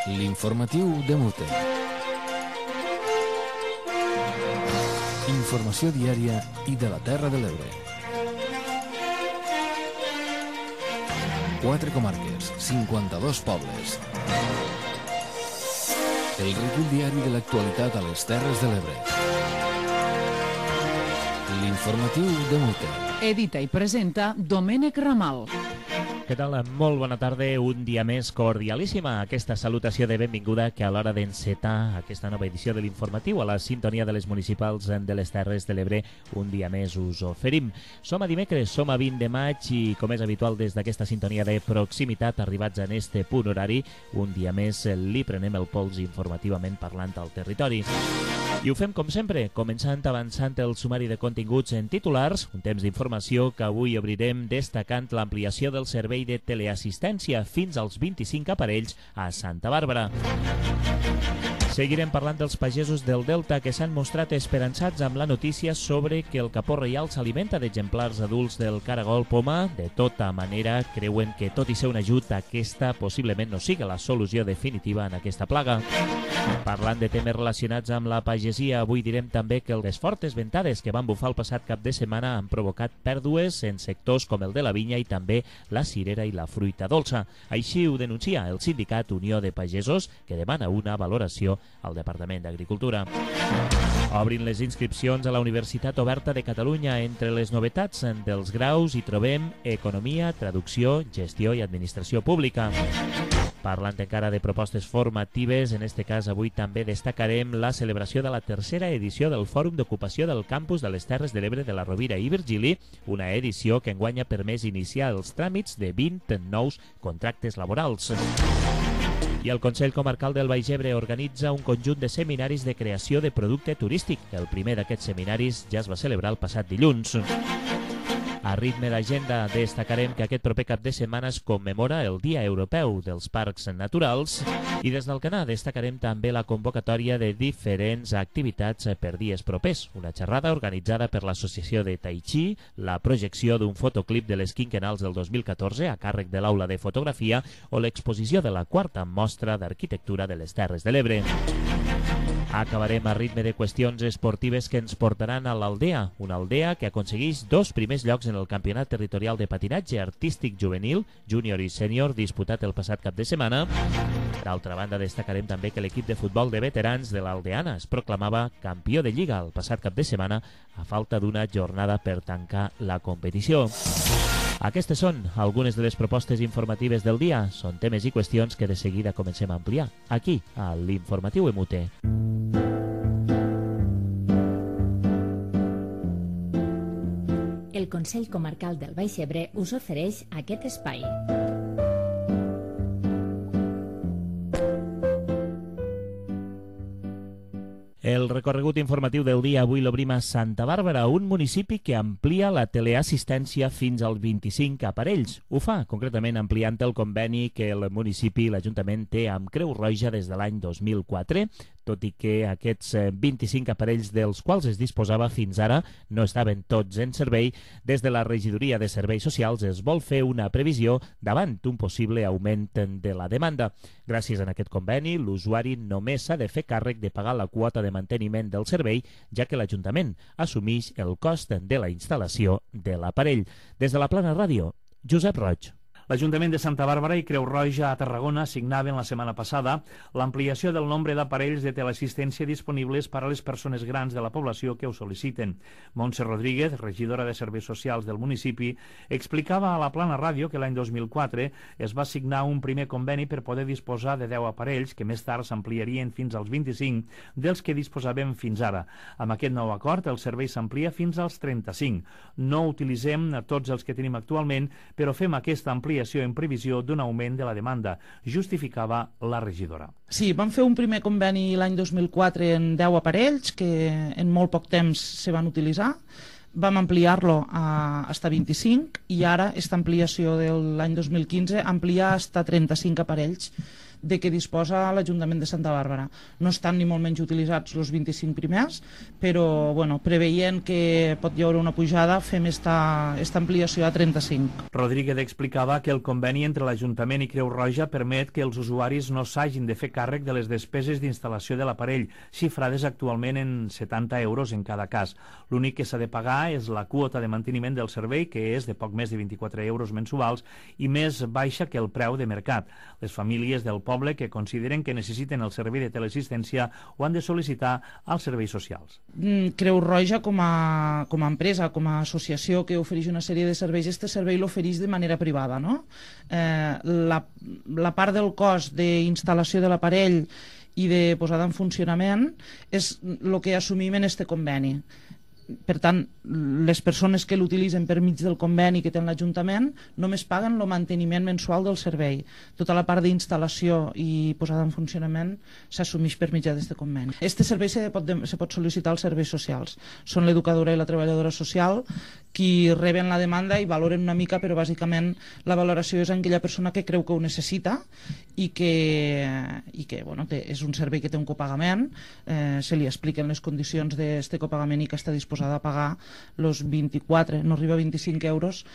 L'informatiu de Mute. Informació diària i de la Terra de l'Ebre. 4 comarques, 52 pobles. El recull diari de l'actualitat a les Terres de l'Ebre. L'informatiu de Mute. Edita i presenta Domènec Ramal. Què tal? Molt bona tarda, un dia més cordialíssima. Aquesta salutació de benvinguda que a l'hora d'encetar aquesta nova edició de l'informatiu a la sintonia de les municipals de les Terres de l'Ebre, un dia més us oferim. Som a dimecres, som a 20 de maig i, com és habitual des d'aquesta sintonia de proximitat, arribats en este punt horari, un dia més li prenem el pols informativament parlant al territori. I ho fem com sempre, començant avançant el sumari de continguts en titulars, un temps d'informació que avui obrirem destacant l'ampliació del servei de teleassistència fins als 25 aparells a Santa Bàrbara. Seguirem parlant dels pagesos del Delta que s'han mostrat esperançats amb la notícia sobre que el capó reial s'alimenta d'exemplars adults del caragol poma. De tota manera, creuen que tot i ser un ajut, aquesta possiblement no siga la solució definitiva en aquesta plaga. Parlant de temes relacionats amb la pagesia, avui direm també que les fortes ventades que van bufar el passat cap de setmana han provocat pèrdues en sectors com el de la vinya i també la cirera i la fruita dolça. Així ho denuncia el sindicat Unió de Pagesos, que demana una valoració al Departament d'Agricultura. Obrin les inscripcions a la Universitat Oberta de Catalunya. Entre les novetats dels graus hi trobem Economia, Traducció, Gestió i Administració Pública. Parlant encara de propostes formatives, en este cas avui també destacarem la celebració de la tercera edició del Fòrum d'Ocupació del Campus de les Terres de l'Ebre de la Rovira i Virgili, una edició que enguany ha permès iniciar els tràmits de 20 nous contractes laborals. I el Consell Comarcal del Baix Ebre organitza un conjunt de seminaris de creació de producte turístic. El primer d'aquests seminaris ja es va celebrar el passat dilluns. A ritme d'agenda destacarem que aquest proper cap de setmana es commemora el Dia Europeu dels Parcs Naturals i des d'Alcanar destacarem també la convocatòria de diferents activitats per dies propers. Una xerrada organitzada per l'Associació de Tai Chi, la projecció d'un fotoclip de les quinquennals del 2014 a càrrec de l'Aula de Fotografia o l'exposició de la quarta mostra d'arquitectura de les Terres de l'Ebre. Acabarem a ritme de qüestions esportives que ens portaran a l'Aldea, una Aldea que aconsegueix 2 primers llocs en el Campionat Territorial de Patinatge Artístic Juvenil, Júnior i Sènior, disputat el passat cap de setmana. D'altra banda, destacarem també que l'equip de futbol de veterans de l'Aldeana es proclamava campió de Lliga el passat cap de setmana a falta d'una jornada per tancar la competició. Aquestes són algunes de les propostes informatives del dia. Són temes i qüestions que de seguida comencem a ampliar aquí, a l'Informatiu Emute. El Consell Comarcal del Baix Ebre us ofereix aquest espai. El recorregut informatiu del dia avui l'obrim a Santa Bàrbara, un municipi que amplia la teleassistència fins als 25 aparells. Ho fa, concretament, ampliant el conveni que el municipi i l'Ajuntament té amb Creu Roja des de l'any 2004, tot i que aquests 25 aparells dels quals es disposava fins ara no estaven tots en servei. Des de la Regidoria de Serveis Socials es vol fer una previsió davant un possible augment de la demanda. Gràcies a aquest conveni, l'usuari només s'ha de fer càrrec de pagar la quota de manteniment del servei, ja que l'Ajuntament assumeix el cost de la instal·lació de l'aparell. Des de la Plana Ràdio, Josep Roig. L'Ajuntament de Santa Bàrbara i Creu Roja a Tarragona signaven la setmana passada l'ampliació del nombre d'aparells de teleassistència disponibles per a les persones grans de la població que ho sol·liciten. Montse Rodríguez, regidora de Serveis Socials del municipi, explicava a la Plana Ràdio que l'any 2004 es va signar un primer conveni per poder disposar de 10 aparells que més tard s'ampliarien fins als 25 dels que disposàvem fins ara. Amb aquest nou acord, el servei s'amplia fins als 35. No utilitzem tots els que tenim actualment, però fem aquesta ampliació en previsió d'un augment de la demanda, justificava la regidora. Sí, vam fer un primer conveni l'any 2004 en 10 aparells que en molt poc temps se van utilitzar. vam ampliar-lo hasta 25 i ara esta ampliació de l'any 2015 amplia hasta 35 aparells de què disposa l'Ajuntament de Santa Bàrbara. No estan ni molt menys utilitzats els 25 primers, però preveient que pot hi haver una pujada, fem esta ampliació a 35. Rodríguez explicava que el conveni entre l'Ajuntament i Creu Roja permet que els usuaris no s'hagin de fer càrrec de les despeses d'instal·lació de l'aparell, xifrades actualment en 70 euros en cada cas. L'únic que s'ha de pagar és la quota de manteniment del servei, que és de poc més de 24 euros mensuals i més baixa que el preu de mercat. Les famílies del poble que consideren que necessiten el servei de teleassistència ho han de sol·licitar als serveis socials. Creu Roja, com a empresa, com a associació que ofereix una sèrie de serveis, este servei l'ofereix de manera privada, no? La part del cost d'instal·lació de l'aparell i de posada en funcionament és el que assumim en este conveni. Per tant, les persones que l'utilitzen per mig del conveni que té l'Ajuntament només paguen el manteniment mensual del servei. Tota la part d'instal·lació i posada en funcionament s'assumeix per mitjà d'aquest conveni. Este servei se pot sol·licitar als serveis socials. Són l'educadora i la treballadora social qui reben la demanda i valoren una mica, però bàsicament la valoració és en aquella persona que creu que ho necessita i que és un servei que té un copagament, se li expliquen les condicions d'aquest copagament i que està disposat a pagar els 24, no arriba a 25 euros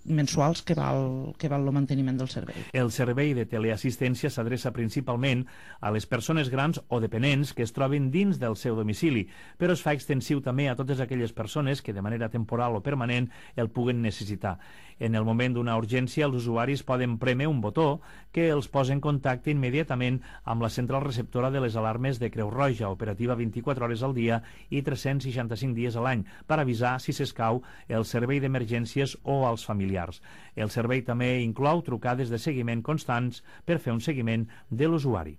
mensuals que val el manteniment del servei. El servei de teleassistència s'adreça principalment a les persones grans o dependents que es troben dins del seu domicili, però es fa extensiu també a totes aquelles persones que de manera temporal o permanent el puguen necessitar. En el moment d'una urgència, els usuaris poden prémer un botó que els posa en contacte immediatament amb la central receptora de les alarmes de Creu Roja, operativa 24 hores al dia i 365 dies a l'any, per avisar si s'escau el servei d'emergències o als familiars. El servei també inclou trucades de seguiment constants per fer un seguiment de l'usuari.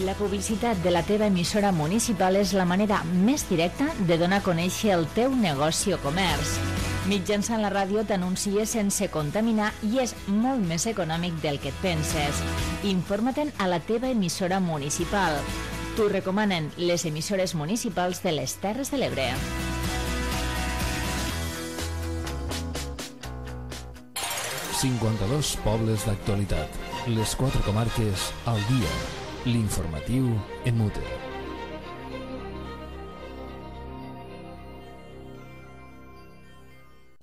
La publicitat de la teva emissora municipal és la manera més directa de donar a conèixer el teu negoci o comerç. Mitjançant la ràdio t'anuncies sense contaminar i és molt més econòmic del que et penses. Informa-te'n a la teva emissora municipal. T'ho recomanen les emissores municipals de les Terres de l'Ebre. ...52 pobles d'actualitat. Les 4 comarques al dia. L'informatiu en mute.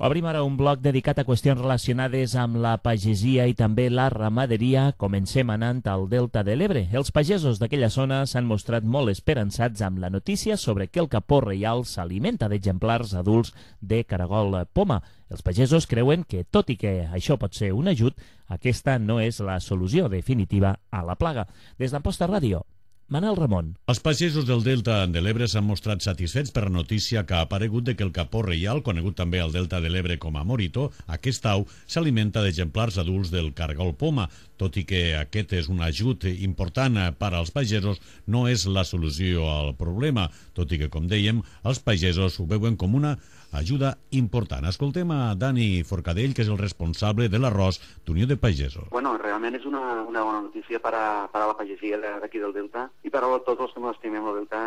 Obrim ara un bloc dedicat a qüestions relacionades amb la pagesia i també la ramaderia. Comencem anant al Delta de l'Ebre. Els pagesos d'aquella zona s'han mostrat molt esperançats amb la notícia sobre que el capó reial s'alimenta d'exemplars adults de caragol poma. Els pagesos creuen que, tot i que això pot ser un ajut, aquesta no és la solució definitiva a la plaga. Des d'Amposta Ràdio, Manel Ramon. Els pagesos del Delta de l'Ebre s'han mostrat satisfets per la notícia que ha aparegut de que el capó reial, conegut també al Delta de l'Ebre com a morito, aquest au s'alimenta d'exemplars adults del caragol poma. Tot i que aquest és un ajut important per als pagesos, no és la solució al problema, tot i que, com dèiem, els pagesos ho veuen com una ajuda important. Escoltem a Dani Forcadell, que és el responsable de l'arròs d'Unió de Pagesos. Bueno, realment és una bona notícia per a la pagesia d'aquí del Delta i per a tots els que ens estimem el Delta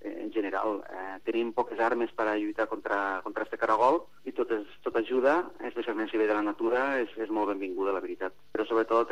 en general. Tenim poques armes per a lluitar contra este caragol i tot ajuda, especialment si ve de la natura, és molt benvinguda, la veritat. Però sobretot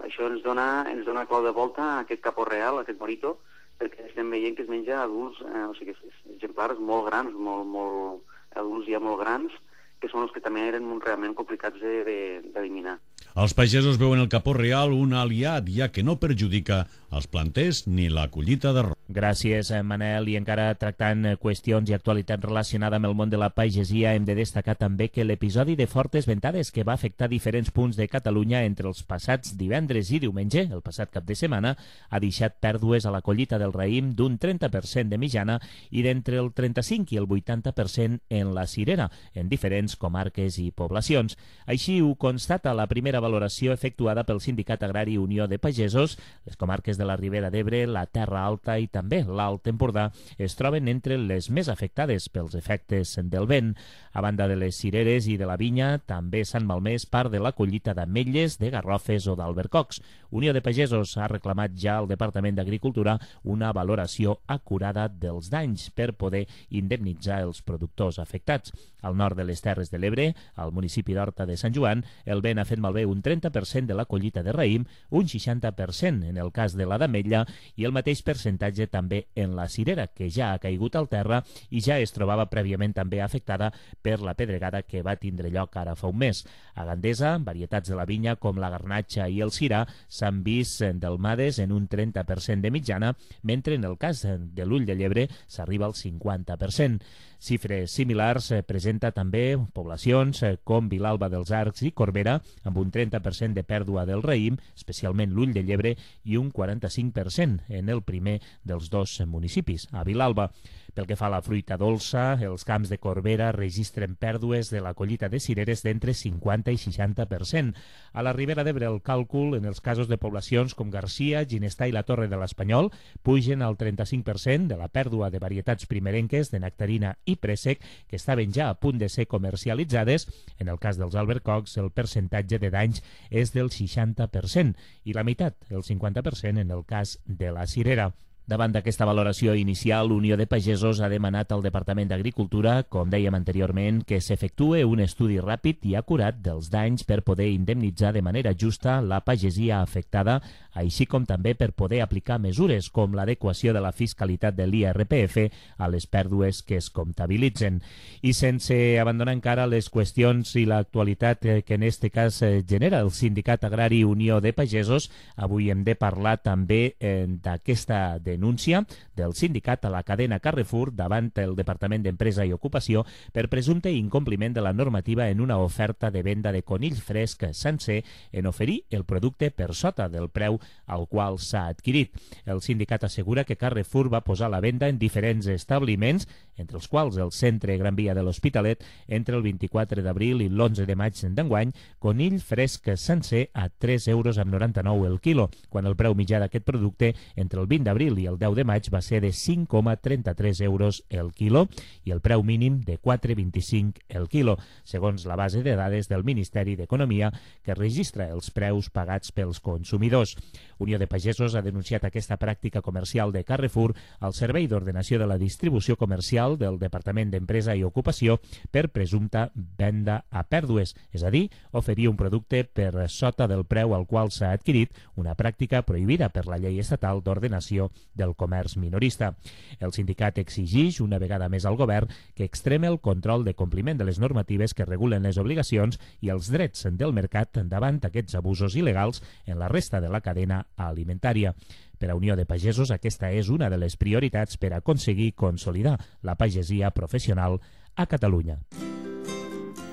això ens dona clau de volta a aquest capó real, a aquest morito, perquè estem veient que es menja adults, o sigui, exemplars molt grans, molt adults ja molt grans, que són els que també eren realment complicats d'eliminar. Els pagesos veuen el capó real un aliat, ja que no perjudica els planters ni la collita d'arròs. Gràcies, Manel. I encara tractant qüestions i actualitat relacionada amb el món de la pagesia, hem de destacar també que l'episodi de fortes ventades que va afectar diferents punts de Catalunya entre els passats divendres i diumenge, el passat cap de setmana, ha deixat pèrdues a la collita del raïm d'un 30% de mitjana i d'entre el 35 i el 80% en la cirera, en diferents comarques i poblacions. Així ho constata la primera valoració efectuada pel Sindicat Agrari Unió de Pagesos. Les comarques de la Ribera d'Ebre, la Terra Alta i també l'Alt Empordà es troben entre les més afectades pels efectes del vent. A banda de les cireres i de la vinya, també s'han malmès part de la collita d'ametlles, de garrofes o d'albercocs. Unió de Pagesos ha reclamat ja al Departament d'Agricultura una valoració acurada dels danys per poder indemnitzar els productors afectats. Al nord de les Terres de l'Ebre, al municipi d'Horta de Sant Joan, el vent ha fet malbé un 30% de la collita de raïm, un 60% en el cas de la d'ametlla i el mateix percentatge també en la cirera, que ja ha caigut al terra i ja es trobava prèviament també afectada per la pedregada que va tindre lloc ara fa un mes. A Gandesa, varietats de la vinya com la garnatxa i el cirà s'han vist delmades en un 30% de mitjana, mentre en el cas de l'ull de llebre s'arriba al 50%. Xifres similars presenta també poblacions com Vilalba dels Arcs i Corbera, amb un 30% de pèrdua del raïm, especialment l'ull de llebre, i un 45% en el primer dels dos municipis, a Vilalba. Pel que fa a la fruita dolça, els camps de Corbera registren pèrdues de la collita de cireres d'entre 50 i 60%. A la Ribera d'Ebre el càlcul en els casos de poblacions com Garcia, Ginestà i la Torre de l'Espanyol pugen al 35% de la pèrdua de varietats primerenques de nectarina i préssec que estaven ja a punt de ser comercialitzades. En el cas dels albercocs, el percentatge de danys és del 60% i la meitat, el 50%, en el cas de la cirera. Davant d'aquesta valoració inicial, Unió de Pagesos ha demanat al Departament d'Agricultura, com dèiem anteriorment, que s'efectue un estudi ràpid i acurat dels danys per poder indemnitzar de manera justa la pagesia afectada, així com també per poder aplicar mesures com l'adequació de la fiscalitat de l'IRPF a les pèrdues que es comptabilitzen. I sense abandonar encara les qüestions i l'actualitat que en aquest cas genera el Sindicat Agrari Unió de Pagesos, avui hem de parlar també d'aquesta denúncia del sindicat a la cadena Carrefour davant el Departament d'Empresa i Ocupació per presumpte incompliment de la normativa en una oferta de venda de conill fresc sencer en oferir el producte per sota del preu al qual s'ha adquirit. El sindicat assegura que Carrefour va posar a la venda en diferents establiments, entre els quals el Centre Gran Via de l'Hospitalet, entre el 24 d'abril i l'11 de maig d'enguany, conill fresc sencer a 3,99 € el quilo, quan el preu mitjà d'aquest producte entre el 20 d'abril i el 10 de maig va ser de 5,33 € el quilo i el preu mínim de 4,25 el quilo, segons la base de dades del Ministeri d'Economia que registra els preus pagats pels consumidors. Unió de Pagesos ha denunciat aquesta pràctica comercial de Carrefour al Servei d'Ordenació de la Distribució Comercial del Departament d'Empresa i Ocupació per presumpta venda a pèrdues, és a dir, oferir un producte per sota del preu al qual s'ha adquirit, una pràctica prohibida per la Llei Estatal d'Ordenació del Comerç Minorista. El sindicat exigeix una vegada més al govern que extreme el control de compliment de les normatives que regulen les obligacions i els drets del mercat davant aquests abusos il·legals en la resta de la cadena alimentària. Per a Unió de Pagesos, aquesta és una de les prioritats per aconseguir consolidar la pagesia professional a Catalunya.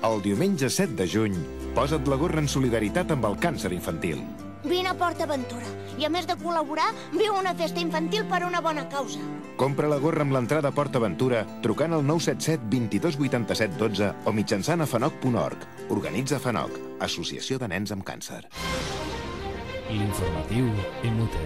El diumenge 7 de juny, posa't la gorra en solidaritat amb el càncer infantil. Vine a PortAventura i, a més de col·laborar, viu una festa infantil per una bona causa. Compra la gorra amb l'entrada a PortAventura trucant al 977 22 87 12 o mitjançant a fanoc.org. Organitza Fanoc, Associació de Nens amb Càncer. L'informatiu MUT.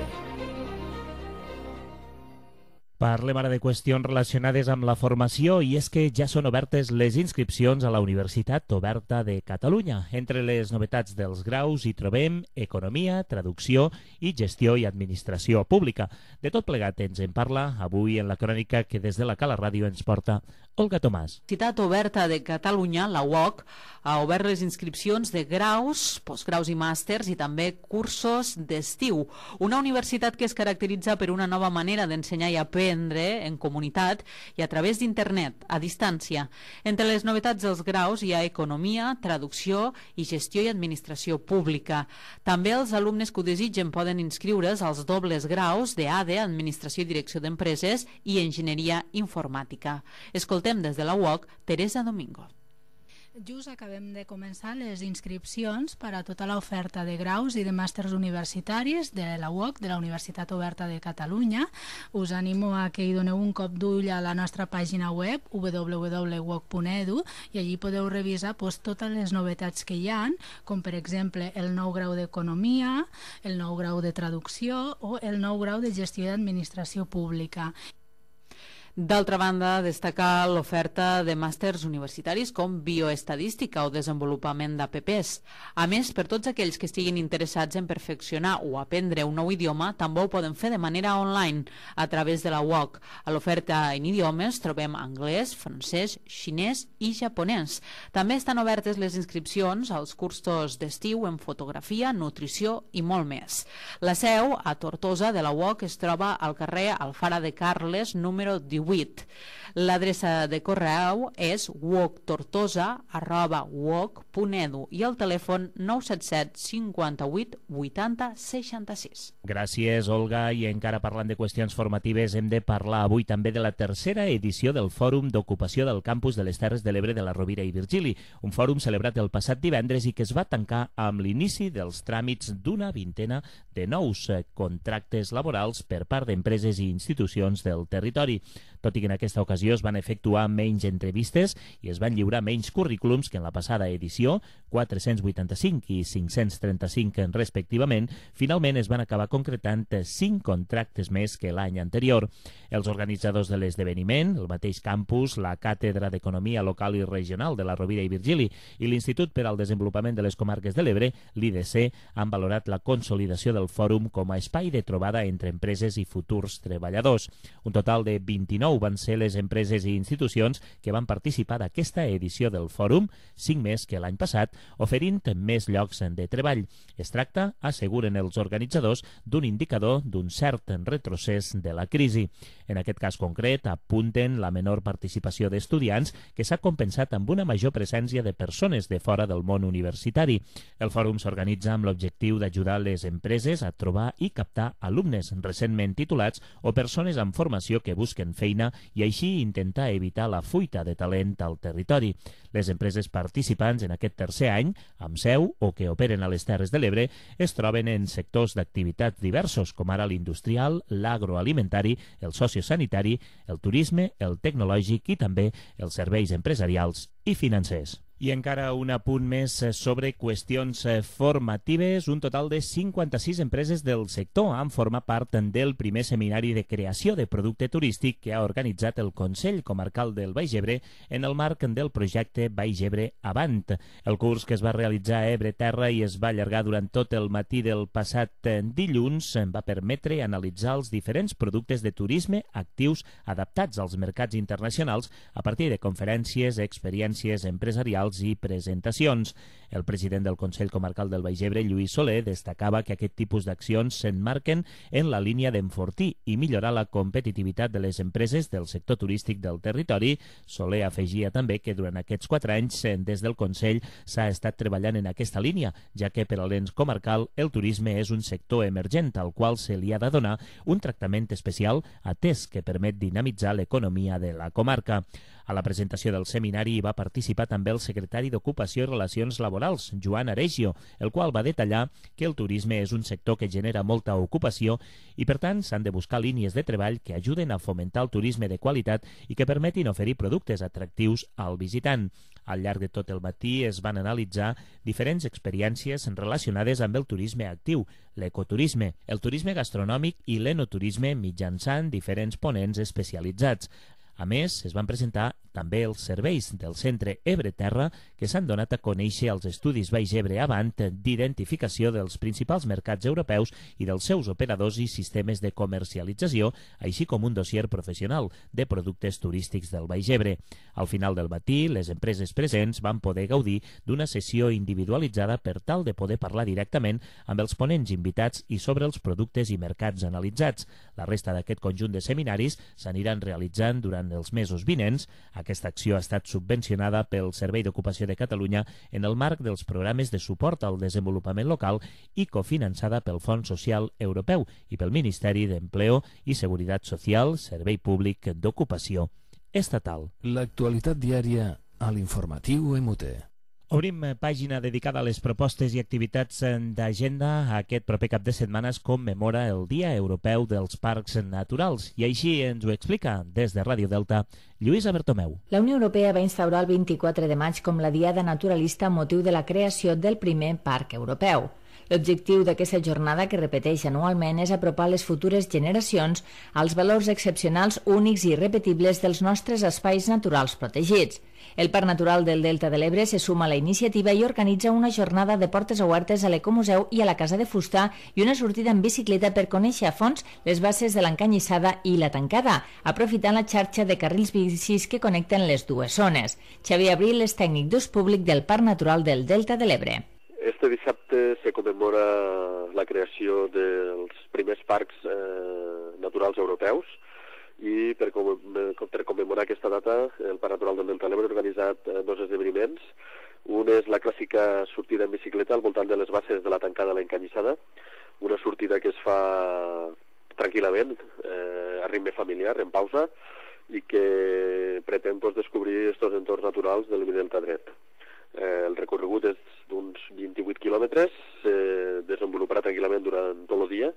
Parlem ara de qüestions relacionades amb la formació i és que ja són obertes les inscripcions a la Universitat Oberta de Catalunya. Entre les novetats dels graus hi trobem Economia, Traducció i Gestió i Administració Pública. De tot plegat ens en parla avui en la crònica que des de la Cala Ràdio ens porta Olga Tomàs. La Universitat Oberta de Catalunya, la UOC, ha obert les inscripcions de graus, postgraus i màsters i també cursos d'estiu. Una universitat que es caracteritza per una nova manera d'ensenyar i aprendre en comunitat i a través d'internet, a distància. Entre les novetats dels graus hi ha Economia, Traducció i Gestió i Administració Pública. També els alumnes que ho desitgen poden inscriure's als dobles graus d'ADE, Administració i Direcció d'Empreses, i Enginyeria Informàtica. Escoltem des de la UOC Teresa Domingo. Just acabem de començar les inscripcions per a tota l'oferta de graus i de màsters universitaris de la UOC, de la Universitat Oberta de Catalunya. Us animo a que hi doneu un cop d'ull a la nostra pàgina web www.uoc.edu i allí podeu revisar totes les novetats que hi ha, com per exemple el nou grau d'Economia, el nou grau de Traducció o el nou grau de Gestió i Administració Pública. D'altra banda, destacar l'oferta de màsters universitaris com bioestadística o desenvolupament d'APPs. A més, per tots aquells que estiguin interessats en perfeccionar o aprendre un nou idioma, també ho poden fer de manera online a través de la UOC. A l'oferta en idiomes trobem anglès, francès, xinès i japonès. També estan obertes les inscripcions als cursos d'estiu en fotografia, nutrició i molt més. La seu, a Tortosa, de la UOC es troba al carrer Alfara de Carles, número 18. L'adreça de correu és uoctortosa@uoc.edu i el telèfon 977 58 80 66. Gràcies, Olga. I encara parlant de qüestions formatives, hem de parlar avui també de la tercera edició del Fòrum d'Ocupació del Campus de les Terres de l'Ebre de la Rovira i Virgili, un fòrum celebrat el passat divendres i que es va tancar amb l'inici dels tràmits d'una vintena de nous contractes laborals per part d'empreses i institucions del territori. Tot i que en aquesta ocasió es van efectuar menys entrevistes i es van lliurar menys currículums que en la passada edició, 485 i 535 respectivament, finalment es van acabar concretant 5 contractes més que l'any anterior. Els organitzadors de l'esdeveniment, el mateix campus, la Càtedra d'Economia Local i Regional de la Rovira i Virgili i l'Institut per al Desenvolupament de les Comarques de l'Ebre, l'IDC, han valorat la consolidació del fòrum com a espai de trobada entre empreses i futurs treballadors. Un total de 29 van ser les empreses i institucions que van participar d'aquesta edició del fòrum, 5 més que l'any passat, oferint més llocs de treball. Es tracta, asseguren els organitzadors, d'un indicador d'un cert retrocés de la crisi. En aquest cas concret, apunten la menor participació d'estudiants que s'ha compensat amb una major presència de persones de fora del món universitari. El fòrum s'organitza amb l'objectiu d'ajudar les empreses a trobar i captar alumnes recentment titulats o persones amb formació que busquen feina i així intentar evitar la fuita de talent al territori. Les empreses participants en aquest tercer any, amb seu o que operen a les Terres de l'Ebre, es troben en sectors d'activitats diversos, com ara l'industrial, l'agroalimentari, el sociosanitari, el turisme, el tecnològic i també els serveis empresarials i financers. I encara un apunt més sobre qüestions formatives. Un total de 56 empreses del sector han format part del primer seminari de creació de producte turístic que ha organitzat el Consell Comarcal del Baix Ebre en el marc del projecte Baix Ebre Avant. El curs, que es va realitzar a Ebre Terra i es va allargar durant tot el matí del passat dilluns, va permetre analitzar els diferents productes de turisme actius adaptats als mercats internacionals a partir de conferències, experiències empresarials i presentacions. El president del Consell Comarcal del Baix Ebre, Lluís Soler, destacava que aquest tipus d'accions s'emmarquen en la línia d'enfortir i millorar la competitivitat de les empreses del sector turístic del territori. Soler afegia també que durant aquests 4 anys des del Consell s'ha estat treballant en aquesta línia, ja que per a l'ens comarcal el turisme és un sector emergent al qual se li ha de donar un tractament especial atès que permet dinamitzar l'economia de la comarca. A la presentació del seminari hi va participar també el secretari d'Ocupació i Relacions Laborals, Joan Aregio, el qual va detallar que el turisme és un sector que genera molta ocupació i, per tant, s'han de buscar línies de treball que ajuden a fomentar el turisme de qualitat i que permetin oferir productes atractius al visitant. Al llarg de tot el matí es van analitzar diferents experiències relacionades amb el turisme actiu, l'ecoturisme, el turisme gastronòmic i l'enoturisme mitjançant diferents ponents especialitzats. A més, es van presentar també els serveis del Centre Ebre Terra que s'han donat a conèixer als estudis Baix Ebre Avant d'identificació dels principals mercats europeus i dels seus operadors i sistemes de comercialització, així com un dossier professional de productes turístics del Baix Ebre. Al final del matí, les empreses presents van poder gaudir d'una sessió individualitzada per tal de poder parlar directament amb els ponents invitats i sobre els productes i mercats analitzats. La resta d'aquest conjunt de seminaris s'aniran realitzant durant els mesos vinents. Aquesta acció ha estat subvencionada pel Servei d'Ocupació de Catalunya en el marc dels programes de suport al desenvolupament local i cofinançada pel Fons Social Europeu i pel Ministeri d'Empleo i Seguretat Social, Servei Públic d'Ocupació Estatal. L'actualitat diària a l'informatiu MUT. Obrim pàgina dedicada a les propostes i activitats d'agenda. Aquest proper cap de setmana es commemora el Dia Europeu dels Parcs Naturals i així ens ho explica des de Ràdio Delta Lluïsa Bertomeu. La Unió Europea va instaurar el 24 de maig com la Diada Naturalista amb motiu de la creació del primer parc europeu. L'objectiu d'aquesta jornada, que repeteix anualment, és apropar les futures generacions als valors excepcionals, únics i irrepetibles dels nostres espais naturals protegits. El Parc Natural del Delta de l'Ebre se suma a la iniciativa i organitza una jornada de portes obertes a l'Ecomuseu i a la Casa de Fusta i una sortida en bicicleta per conèixer a fons les bases de l'Encanyissada i la Tancada, aprofitant la xarxa de carrils bicis que connecten les dues zones. Xavier Abril és tècnic d'ús públic del Parc Natural del Delta de l'Ebre. Este dissabte se commemora la creació dels primers parcs naturals europeus i per commemorar aquesta data el Parc Natural del Delta de l'Ebre ha organitzat dos esdeveniments. Un és la clàssica sortida en bicicleta al voltant de les bases de la Tancada a l'Encanyissada, una sortida que es fa tranquil·lament, a ritme familiar, en pausa, i que pretén descobrir aquests entorns naturals del Delta dret. El recorregut és d'uns 28 quilòmetres, se desenvoluparà tranquil·lament durant tot el dia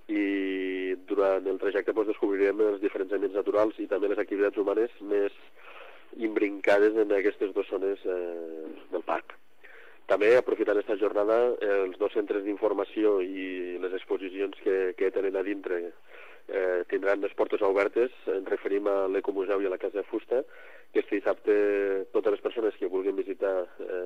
i durant el trajecte descobrirem els diferents ambients naturals i també les activitats humanes més imbrincades en aquestes dues zones del parc. També, aprofitant aquesta jornada, els dos centres d'informació i les exposicions que tenen a dintre tindran les portes obertes. Ens referim a l'Ecomuseu i a la Casa de Fusta, que este dissabte totes les persones que vulguin visitar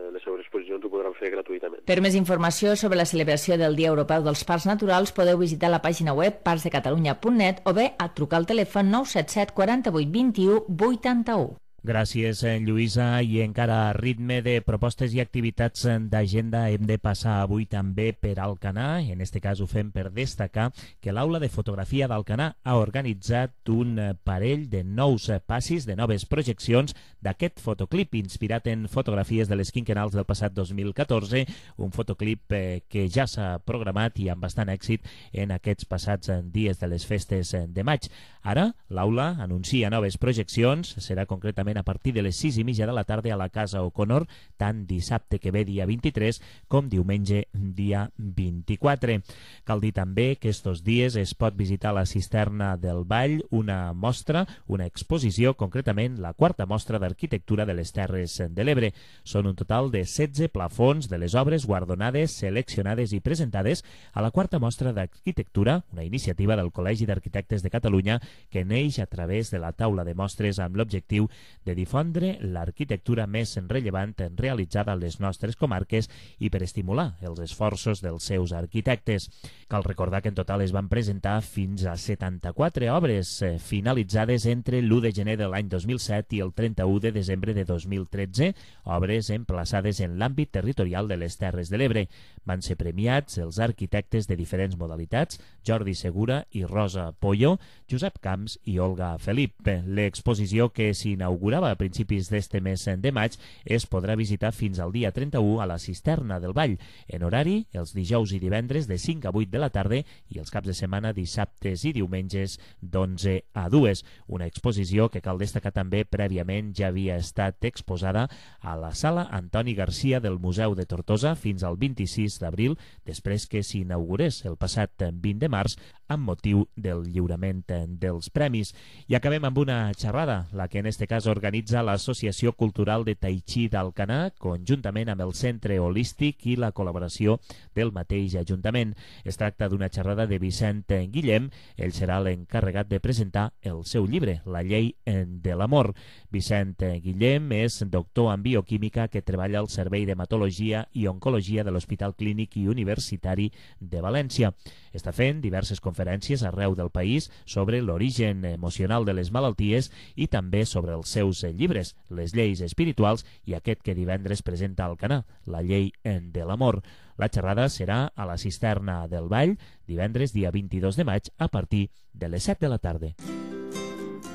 les seves exposicions ho podran fer gratuïtament. Per més informació sobre la celebració del Dia Europeu dels Parcs Naturals podeu visitar la pàgina web parcsdecatalunya.net o bé a trucar al telèfon 977 48 21 81. Gràcies, Lluïsa. I encara a ritme de propostes i activitats d'agenda hem de passar avui també per Alcanar. En este cas ho fem per destacar que l'Aula de Fotografia d'Alcanar ha organitzat un parell de nous passis, de noves projeccions d'aquest fotoclip inspirat en fotografies de les quinquennals del passat 2014, un fotoclip que ja s'ha programat i amb bastant èxit en aquests passats dies de les festes de maig. Ara, l'Aula anuncia noves projeccions, serà concretament a partir de les 6:30 de la tarda a la Casa O'Connor, tant dissabte que ve dia 23 com diumenge dia 24. Cal dir també que estos dies es pot visitar la Cisterna del Vall, una mostra, una exposició, concretament la quarta mostra d'arquitectura de les Terres de l'Ebre. Són un total de 16 plafons de les obres guardonades, seleccionades i presentades a la quarta mostra d'arquitectura, una iniciativa del Col·legi d'Arquitectes de Catalunya que neix a través de la taula de mostres amb l'objectiu de difondre l'arquitectura més rellevant realitzada a les nostres comarques i per estimular els esforços dels seus arquitectes. Cal recordar que en total es van presentar fins a 74 obres finalitzades entre l'1 de gener de l'any 2007 i el 31 de desembre de 2013, obres emplaçades en l'àmbit territorial de les Terres de l'Ebre. Van ser premiats els arquitectes de diferents modalitats, Jordi Segura i Rosa Pollo, Josep Camps i Olga Felip. L'exposició que s'inaugurava a principis d'este mes de maig es podrà visitar fins al dia 31 a la Cisterna del Vall, en horari els dijous i divendres de 5 a 8 de la tarda i els caps de setmana dissabtes i diumenges d'11 a 2. Una exposició que cal destacar també prèviament ja havia estat exposada a la Sala Antoni Garcia del Museu de Tortosa fins al 26 d'abril, després que s'inaugurés el passat 20 de març amb motiu del lliurament dels premis. I acabem amb una xerrada, la que en este cas organitza l'Associació Cultural de Tai Chi d'Alcanar, conjuntament amb el Centre Holístic i la col·laboració del mateix Ajuntament. Es tracta d'una xerrada de Vicent Guillem. Ell serà l'encarregat de presentar el seu llibre, La llei de l'amor. Vicent Guillem és doctor en bioquímica que treballa al Servei d'Hematologia i Oncologia de l'Hospital Clínic i Universitari de València. Està fent diverses conferències arreu del país sobre l'origen emocional de les malalties i també sobre els seus llibres, Les lleis espirituals i aquest que divendres presenta al Alcanar, La llei de l'amor. La xerrada serà a la Cisterna del Vall, divendres dia 22 de maig a partir de les 7 de la tarda.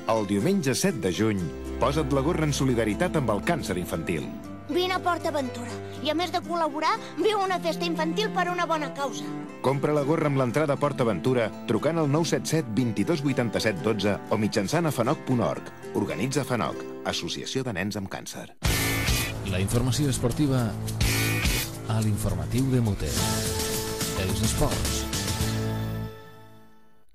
El diumenge 7 de juny, posa't la gorra en solidaritat amb el càncer infantil. Vine a PortAventura i, a més de col·laborar, viu una festa infantil per una bona causa. Compra la gorra amb l'entrada a PortAventura trucant al 977 22 87 12 o mitjançant a fanoc.org. Organitza FANOC, Associació de Nens amb Càncer. La informació esportiva a l'informatiu de Muter. Els esports.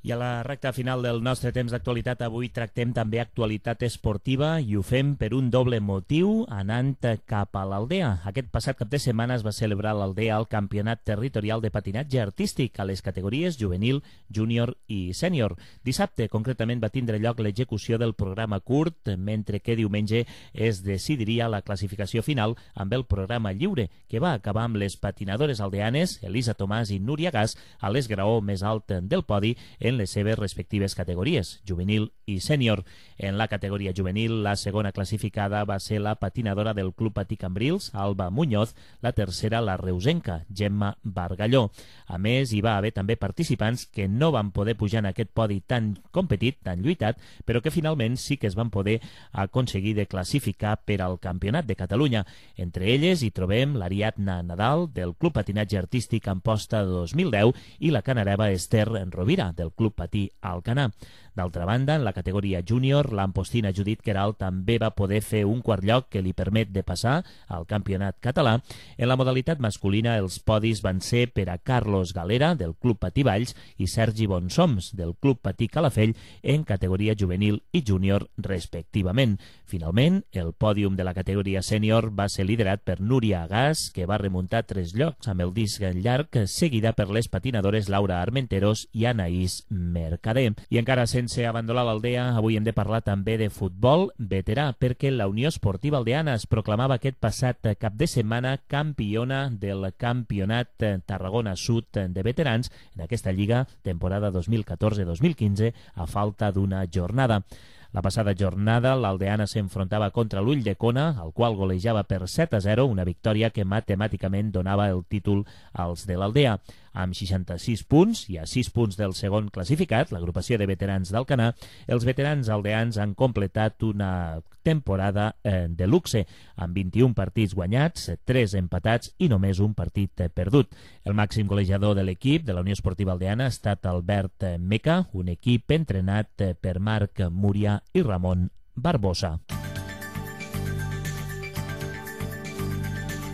I a la recta final del nostre temps d'actualitat avui tractem també actualitat esportiva i ho fem per un doble motiu anant cap a l'Aldea. Aquest passat cap de setmana es va celebrar a l'Aldea el Campionat Territorial de Patinatge Artístic a les categories juvenil, júnior i sènior. Dissabte, concretament, va tindre lloc l'execució del programa curt, mentre que diumenge es decidiria la classificació final amb el programa lliure, que va acabar amb les patinadores aldeanes Elisa Tomàs i Núria Gas a l'esgraó més alt del podi en les seves respectives categories, juvenil i sènior. En la categoria juvenil, la segona classificada va ser la patinadora del Club Patí Cambrils, Alba Muñoz, la tercera la reusenca, Gemma Bargalló. A més, hi va haver també participants que no van poder pujar en aquest podi tan competit, tan lluitat, però que finalment sí que es van poder aconseguir de classificar per al Campionat de Catalunya. Entre elles hi trobem l'Ariadna Nadal, del Club Patinatge Artístic Amposta 2010, i la canareva Esther Rovira, del Club Patí Alcanar. D'altra banda, en la categoria júnior, l'ampostina Judit Queralt també va poder fer un quart lloc que li permet de passar al campionat català. En la modalitat masculina, els podis van ser per a Carlos Galera, del Club Patí Valls, i Sergi Bonsoms, del Club Patí Calafell, en categoria juvenil i júnior, respectivament. Finalment, el pòdium de la categoria sènior va ser liderat per Núria Gas, que va remuntar 3 llocs amb el disc llarg, seguida per les patinadores Laura Armenteros i Anaïs Mercader. I encara sense abandonar l'Aldea, avui hem de parlar també de futbol veterà, perquè la Unió Esportiva Aldeana es proclamava aquest passat cap de setmana campiona del Campionat Tarragona Sud de veterans en aquesta lliga temporada 2014-2015 a falta d'una jornada. La passada jornada, l'Aldeana s'enfrontava contra l'Ull de Cona, el qual golejava per 7-0, una victòria que matemàticament donava el títol als de l'Aldea. Amb 66 punts i a 6 punts del segon classificat, l'agrupació de veterans d'Alcanar, els veterans aldeans han completat una temporada de luxe, amb 21 partits guanyats, 3 empatats i només un partit perdut. El màxim golejador de l'equip de la Unió Esportiva Aldeana ha estat Albert Meca, un equip entrenat per Marc Múria i Ramon Barbosa.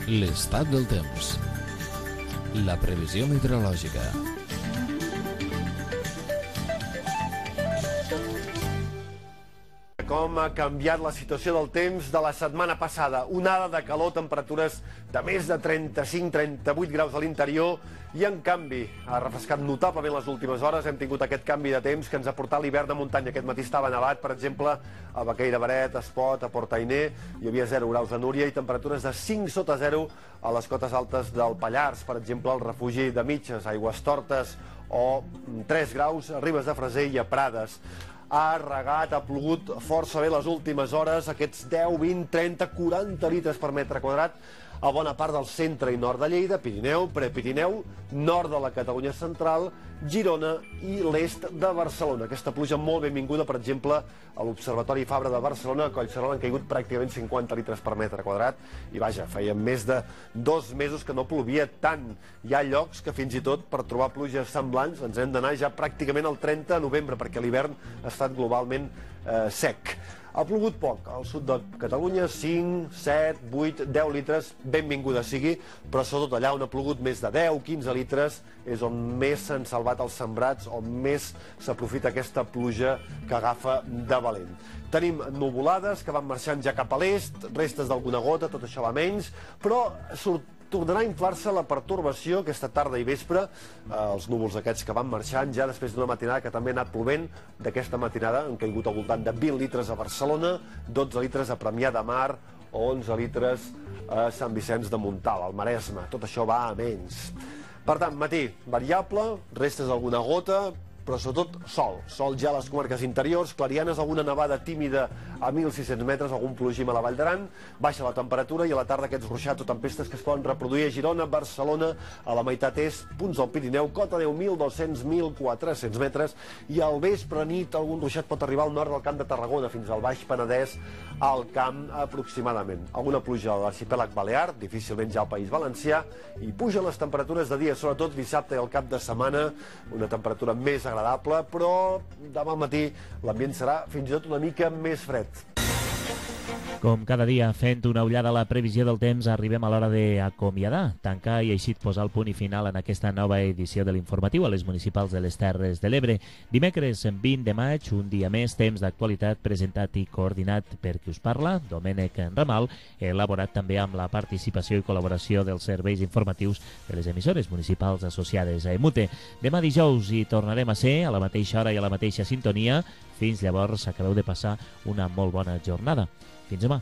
L'estat del temps. La previsió meteorològica. Com ha canviat la situació del temps de la setmana passada. Onada de calor, temperatures de més de 35-38 graus a l'interior i, en canvi, ha refrescat notablement les últimes hores. Hem tingut aquest canvi de temps que ens ha portat l'hivern de muntanya. Aquest matí estava nevat, per exemple, a Baqueira Baret, a Espot, a Portainer. Hi havia 0 graus a Núria i temperatures de 5 sota 0 a les cotes altes del Pallars, per exemple, al refugi de Mitges, a Aigüestortes, o 3 graus a Ribes de Freser i a Prades. Ha regat, ha plogut força bé les últimes hores, aquests 10, 20, 30, 40 litres per metre quadrat a bona part del centre i nord de Lleida, Pirineu, Prepirineu, nord de la Catalunya central, Girona i l'est de Barcelona. Aquesta pluja molt benvinguda, per exemple, a l'Observatori Fabra de Barcelona. A Collserola han caigut pràcticament 50 litres per metre quadrat i, vaja, feia més de 2 mesos que no plovia tant. Hi ha llocs que fins i tot per trobar pluges semblants ens hem d'anar ja pràcticament al 30 de novembre perquè l'hivern ha estat globalment sec. Ha plogut poc, al sud de Catalunya, 5, 7, 8, 10 litres, benvinguda sigui, però sobretot allà on ha plogut més de 10, 15 litres, és on més s'han salvat els sembrats, on més s'aprofita aquesta pluja que agafa de valent. Tenim nuvolades que van marxant ja cap a l'est, restes d'alguna gota, tot això va menys, però tornarà a inflar-se la pertorbació aquesta tarda i vespre, els núvols aquests que van marxant ja després d'una matinada que també ha anat plovent. D'aquesta matinada han caigut al voltant de 20 litres a Barcelona, 12 litres a Premià de Mar o 11 litres a Sant Vicenç de Montalt, al Maresme. Tot això va a menys. Per tant, matí variable, restes d'alguna gota, però sobretot sol. Sol ja a les comarques interiors, clarianes, alguna nevada tímida a 1.600 metres, algun plogim a la Vall d'Aran, baixa la temperatura i a la tarda aquests ruixats o tempestes que es poden reproduir a Girona, Barcelona, a la meitat est, punts del Pirineu, cota 10.200-1.400 metres i al vespre nit algun ruixat pot arribar al nord del Camp de Tarragona fins al Baix Penedès, al Camp aproximadament. Alguna pluja a l'arxipèlag Balear, difícilment ja al País Valencià, i pugen les temperatures de dia, sobretot dissabte i al cap de setmana, una temperatura més agradable, però demà al matí l'ambient serà fins i tot una mica més fred. Com cada dia, fent una ullada a la previsió del temps, arribem a l'hora d'acomiadar, tancar i així posar el punt i final en aquesta nova edició de l'informatiu a les municipals de les Terres de l'Ebre. Dimecres 20 de maig, un dia més, temps d'actualitat presentat i coordinat per qui us parla, Domènec Ramal, elaborat també amb la participació i col·laboració dels serveis informatius de les emissores municipals associades a EMUTE. Demà dijous hi tornarem a ser, a la mateixa hora i a la mateixa sintonia. Fins llavors, acabeu de passar una molt bona jornada. Fins demà.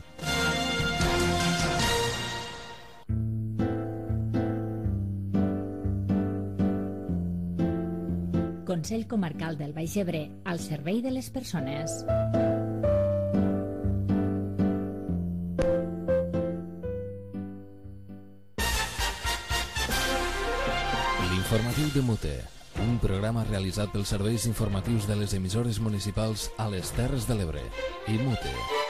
Consell Comarcal del Baix Ebre, al servei de les persones. L'informatiu de Mute, un programa realitzat pels serveis informatius de les emissores municipals a les Terres de l'Ebre i Mute.